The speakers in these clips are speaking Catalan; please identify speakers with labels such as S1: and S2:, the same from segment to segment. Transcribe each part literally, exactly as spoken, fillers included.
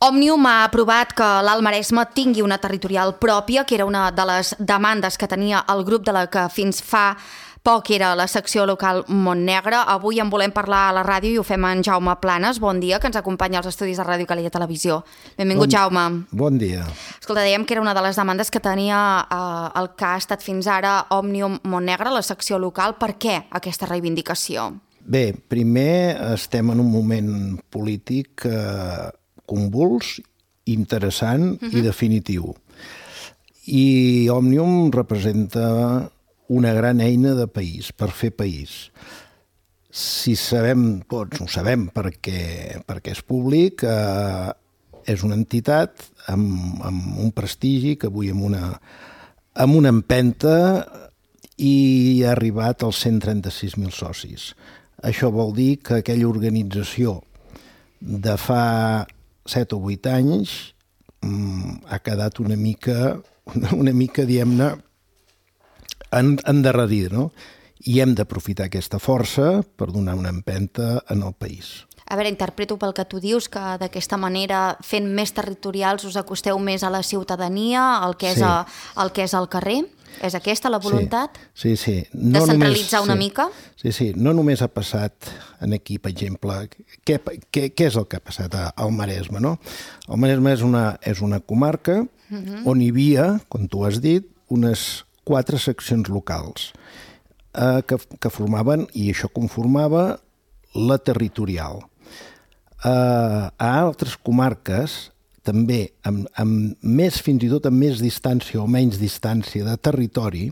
S1: Òmnium ha aprovat que l'Alt Maresme tingui una territorial pròpia, que era una de les demandes que tenia el grup de la que fins fa poc era la secció local Montnegre. Avui en volem parlar a la ràdio i ho fem en Jaume Planes. Bon dia, que ens acompanya als estudis de Ràdio Calella Televisió. Benvingut, bon, Jaume.
S2: Bon dia.
S1: Escolta, dèiem que era una de les demandes que tenia eh, el que ha estat fins ara Òmnium Montnegre, la secció local. Per què aquesta reivindicació?
S2: Bé, primer estem en un moment polític eh, convuls, interessant uh-huh. i definitiu. I Òmnium representa una gran eina de país, per fer país. Si sabem tots, ho sabem perquè, perquè és públic, eh, és una entitat amb, amb un prestigi que avui amb una, amb una empenta i ha arribat als cent trenta-sis mil socis. Això vol dir que aquella organització de fa set o vuit anys mm, ha quedat una mica, una, una mica, diguem-ne, en, endarrerida, no? I hem d'aprofitar aquesta força per donar una empenta en el país.
S1: A veure, interpreto pel que tu dius que d'aquesta manera, fent més territorials, us acosteu més a la ciutadania, al que és,
S2: sí.
S1: a, el que és al carrer? És aquesta la voluntat?
S2: Sí, sí. sí. No
S1: Descentralitzar
S2: només,
S1: una
S2: sí.
S1: mica?
S2: Sí, sí. No només ha passat en aquí, per exemple, què, què, què és el que ha passat al Maresme, no? El Maresme és una, és una comarca uh-huh. on hi havia, com tu has dit, unes quatre seccions locals eh, que, que formaven, i això conformava la territorial. Eh, a altres comarques, també amb, amb més, fins i tot amb més distància o menys distància de territori,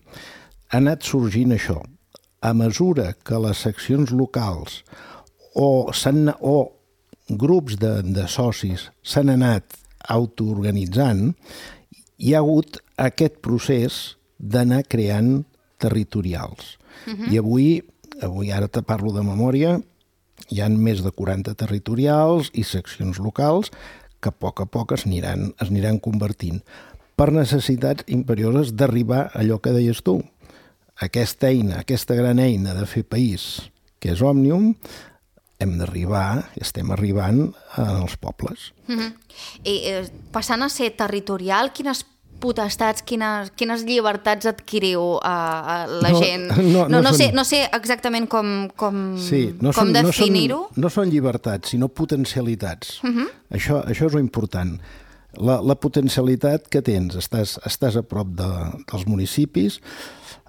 S2: ha anat sorgint això. A mesura que les seccions locals o, o grups de, de socis s'han anat autoorganitzant, hi ha hagut aquest procés d'anar creant territorials. Uh-huh. I avui, avui ara te parlo de memòria, hi ha més de quaranta territorials i seccions locals que a poc a poc es aniran, es aniran convertint per necessitats imperioses d'arribar a allò que deies tu. Aquesta eina, aquesta gran eina de fer país, que és Òmnium, hem d'arribar, estem arribant als pobles.
S1: Uh-huh. I eh, passant a ser territorial, quines potestats, quines, quines llibertats adquiriu a, a la
S2: no,
S1: gent?
S2: No, no,
S1: no, no,
S2: són...
S1: sé, no sé exactament com, com,
S2: sí, no
S1: com
S2: són,
S1: definir-ho.
S2: No són, no són llibertats, sinó potencialitats.
S1: Uh-huh.
S2: Això, això és important. La, la potencialitat que tens, estàs, estàs a prop de, dels municipis.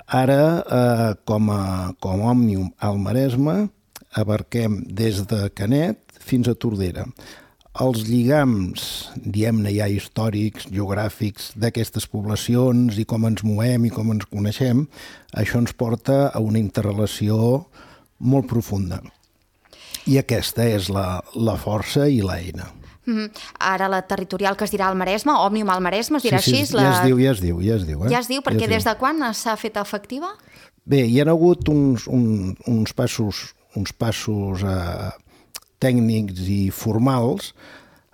S2: Ara, eh, com, a, com a Òmnium al Maresme, abarquem des de Canet fins a Tordera. Els lligams, diguem-ne ja històrics, geogràfics d'aquestes poblacions i com ens movem i com ens coneixem, això ens porta a una interrelació molt profunda. I aquesta és la, la força i l'eina.
S1: Mm-hmm. Ara la territorial que es dirà al Maresme, Òmnium al Maresme, es dirà
S2: sí, sí,
S1: així?
S2: Ja
S1: la...
S2: es diu, ja es diu. Ja es diu, eh?
S1: ja es diu perquè
S2: ja es
S1: des
S2: diu.
S1: de quan s'ha fet efectiva?
S2: Bé, hi ha hagut uns, un, uns passos, uns passos eh, tècnics i formals.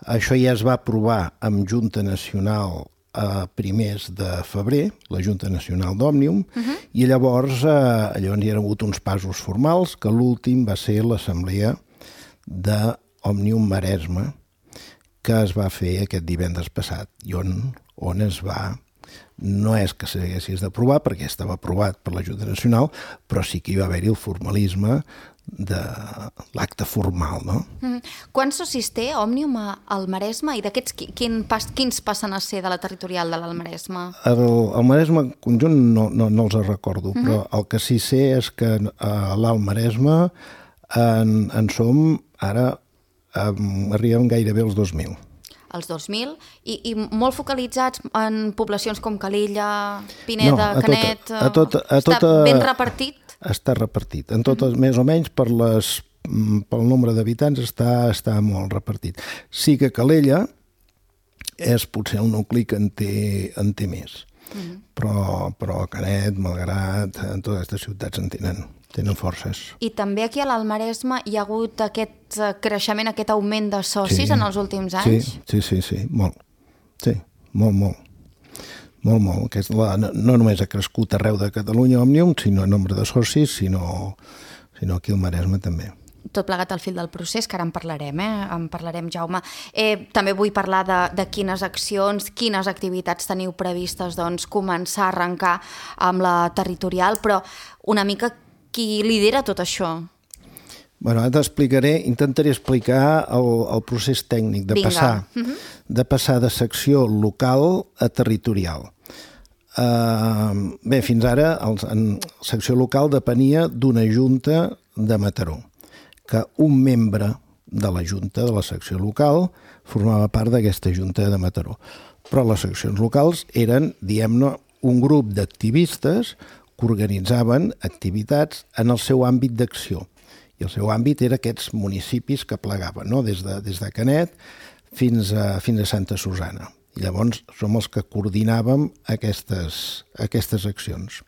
S2: Això ja es va aprovar amb Junta Nacional a primers de febrer, la Junta Nacional d'Òmnium, uh-huh. i llavors, eh, llavors hi ha hagut uns passos formals, que l'últim va ser l'assemblea d'Òmnium Maresme, que es va fer aquest divendres passat, i on, on es va... No és que s'haguessis d'aprovar, perquè estava aprovat per la Junta Nacional, però sí que hi va haver-hi el formalisme de l'acte formal, no?
S1: Mm. Quants socis té Òmnium al Maresme i d'aquests quin pas, quins passen a ser de la territorial de l'Alt Maresme?
S2: El, el Maresme conjunt no, no, no els recordo, mm-hmm. però el que sí sé és que a l'Alt Maresme en, en som ara, um, arribem gairebé als dos mil.
S1: Els dos mil, i, i molt focalitzats en poblacions com Calella, Pineda,
S2: no, a
S1: Canet...
S2: Tota, a tota, a tota,
S1: està ben repartit?
S2: Està repartit. En totes, mm-hmm. més o menys, per les, pel nombre d'habitants, està, està molt repartit. Sí que Calella és potser el nucli que en té, en té més. Mm-hmm. Però, però Canet, Malgrat, en totes aquestes ciutats en tenen, tenen forces.
S1: I també aquí a l'Alt Maresme hi ha hagut aquest creixement, aquest augment de socis
S2: sí,
S1: en els últims anys?
S2: Sí, sí, sí, sí, molt. Sí, molt, molt. Molt, molt. Que és la, no, no només ha crescut arreu de Catalunya Òmnium, sinó en nombre de socis, sinó, sinó aquí al Maresme també.
S1: tot plegat al fil del procés, que ara en parlarem, eh? En parlarem, Jaume. Eh, també vull parlar de, de quines accions, quines activitats teniu previstes, doncs, començar a arrencar amb la territorial, però una mica qui lidera tot això?
S2: Bueno, ara t'explicaré, intentaré explicar el, el procés tècnic de
S1: Vinga.
S2: passar,
S1: Uh-huh.
S2: de passar de secció local a territorial. Uh, bé, fins ara el, en secció local depenia d'una junta de Mataró, que un membre de la junta de la secció local formava part d'aquesta junta de Mataró. Però les seccions locals eren, diguem-ne, un grup d'activistes que organitzaven activitats en el seu àmbit d'acció. I el seu àmbit era aquests municipis que plegaven, no? des, de, des de Canet fins a, fins a Santa Susana. I llavors som els que coordinàvem aquestes, aquestes accions.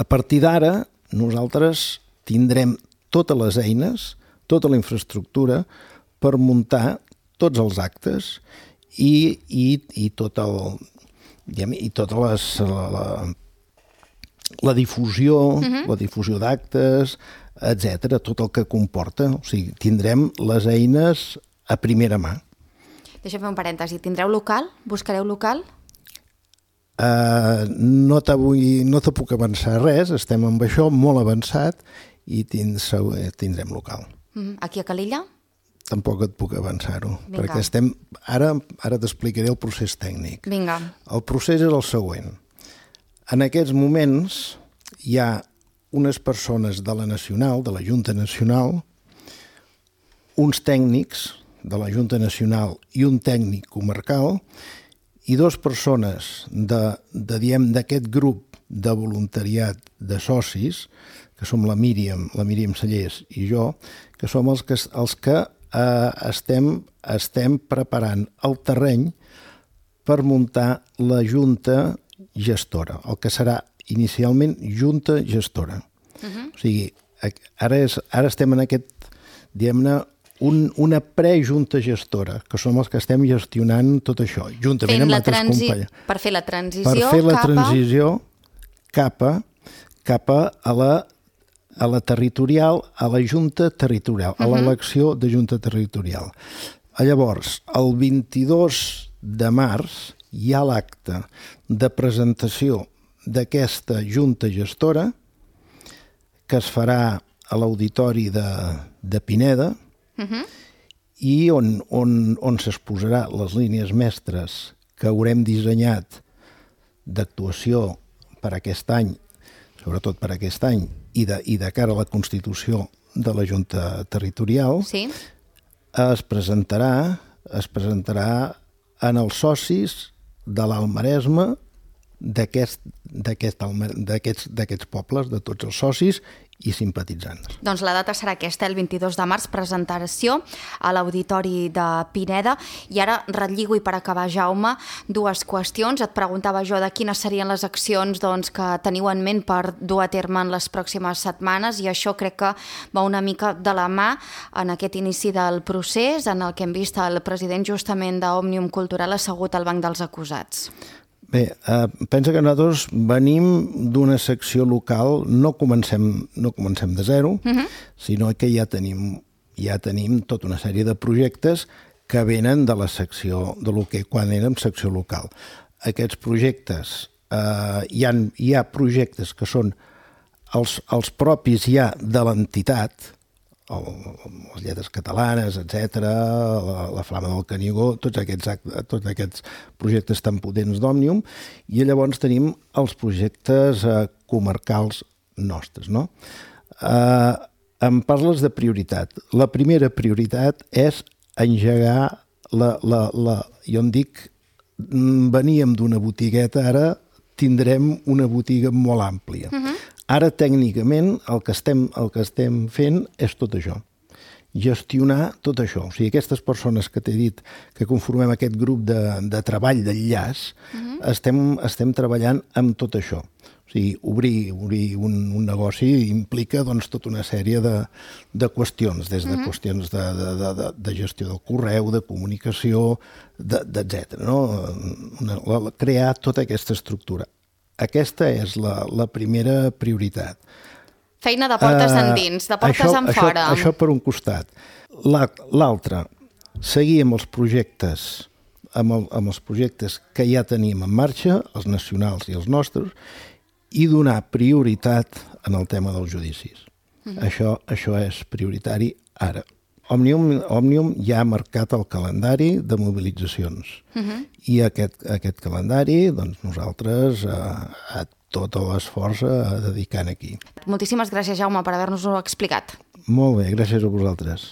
S2: A partir d'ara, nosaltres tindrem totes les eines, tota la infraestructura per muntar tots els actes i, i, i, tot el, diguem, i tota les, la, la, la difusió, uh-huh. la difusió d'actes, etcètera, tot el que comporta. O sigui, tindrem les eines a primera mà.
S1: Deixa'm fer un parèntesi. Tindreu local? Buscareu local?
S2: Uh, no, no te puc avançar res, estem amb això molt avançat i tind, tindrem local.
S1: Mm, aquí a Calella?
S2: Tampoc et puc avançar-ho, perquè estem... Ara, ara t'explicaré el procés tècnic.
S1: Vinga.
S2: El procés és el següent. En aquests moments hi ha unes persones de la Nacional, de la Junta Nacional, uns tècnics de la Junta Nacional i un tècnic comarcal i dues persones de, de, diem, d'aquest grup de voluntariat de socis, que som la Míriam, la Míriam Sallés i jo, que som els que, els que eh, estem, estem preparant el terreny per muntar la Junta Gestora, el que serà inicialment Junta Gestora. Uh-huh. O sigui, ara, és, ara estem en aquest, diguem-ne, un, una prejunta gestora, que som els que estem gestionant tot això, juntament amb altres
S1: transi...
S2: companys.
S1: Per fer la transició
S2: per fer la
S1: cap a...
S2: transició cap a, cap a, a, la, a la territorial, a la junta territorial, uh-huh. a l'elecció de junta territorial. Llavors, el vint-i-dos de març hi ha l'acte de presentació d'aquesta junta gestora que es farà a l'auditori de, de Pineda uh-huh. i on, on, on s'exposarà les línies mestres que haurem dissenyat d'actuació per aquest any, sobretot per aquest any, i de, i de cara a la constitució de la Junta Territorial, sí. es presentarà, es presentarà en els socis de l'Alt Maresme d'aquest, d'aquest, d'aquests, d'aquests pobles, de tots els socis i simpatitzants.
S1: Doncs la data serà aquesta, el vint-i-dos de març, presentació a l'Auditori de Pineda. I ara relligo, i per acabar, Jaume, dues qüestions. Et preguntava jo de quines serien les accions doncs, que teniu en ment per dur a terme en les pròximes setmanes, i això crec que va una mica de la mà en aquest inici del procés, en el que hem vist el president justament d'Òmnium Cultural assegut al banc dels acusats.
S2: Bé, eh, pensa que nosaltres venim d'una secció local, no comencem, no comencem de zero, uh-huh. sinó que ja tenim, ja tenim tota una sèrie de projectes que venen de la secció, de lo que quan érem secció local. Aquests projectes, eh, hi ha, hi ha projectes que són els, els propis ja de l'entitat, el, les lletres catalanes, etcètera, la, la Flama del Canigó, tots aquests, actes, tots aquests projectes tan potents d'Òmnium, i llavors tenim els projectes eh, comarcals nostres, no? Eh, em parles de prioritat. La primera prioritat és engegar la... la, la jo en dic, veníem d'una botigueta, ara tindrem una botiga molt àmplia. Uh-huh. Ara, tècnicament, el que, estem, el que estem fent és tot això. Gestionar tot això. O sigui, aquestes persones que t'he dit que conformem aquest grup de, de treball d'enllaç, uh-huh. estem, estem treballant amb tot això. O sigui, obrir, obrir un, un negoci implica doncs, tota una sèrie de, de qüestions, des de uh-huh. qüestions de, de, de, de gestió del correu, de comunicació, etcètera. No? Una, la, crear tota aquesta estructura. Aquesta és la, la primera prioritat.
S1: Feina de portes uh, endins, de portes
S2: això,
S1: en
S2: això,
S1: fora.
S2: Això per un costat. L'altre, seguir amb els projectes amb, el, amb els projectes que ja tenim en marxa, els nacionals i els nostres, i donar prioritat en el tema dels judicis. Uh-huh. Això, això és prioritari ara. Òmnium, Òmnium ja ha marcat el calendari de mobilitzacions. Uh-huh. I aquest, aquest calendari, doncs nosaltres, a, a tot l'esforç a dedicar aquí.
S1: Moltíssimes gràcies, Jaume, per haver-nos-ho explicat.
S2: Molt bé, gràcies a vosaltres.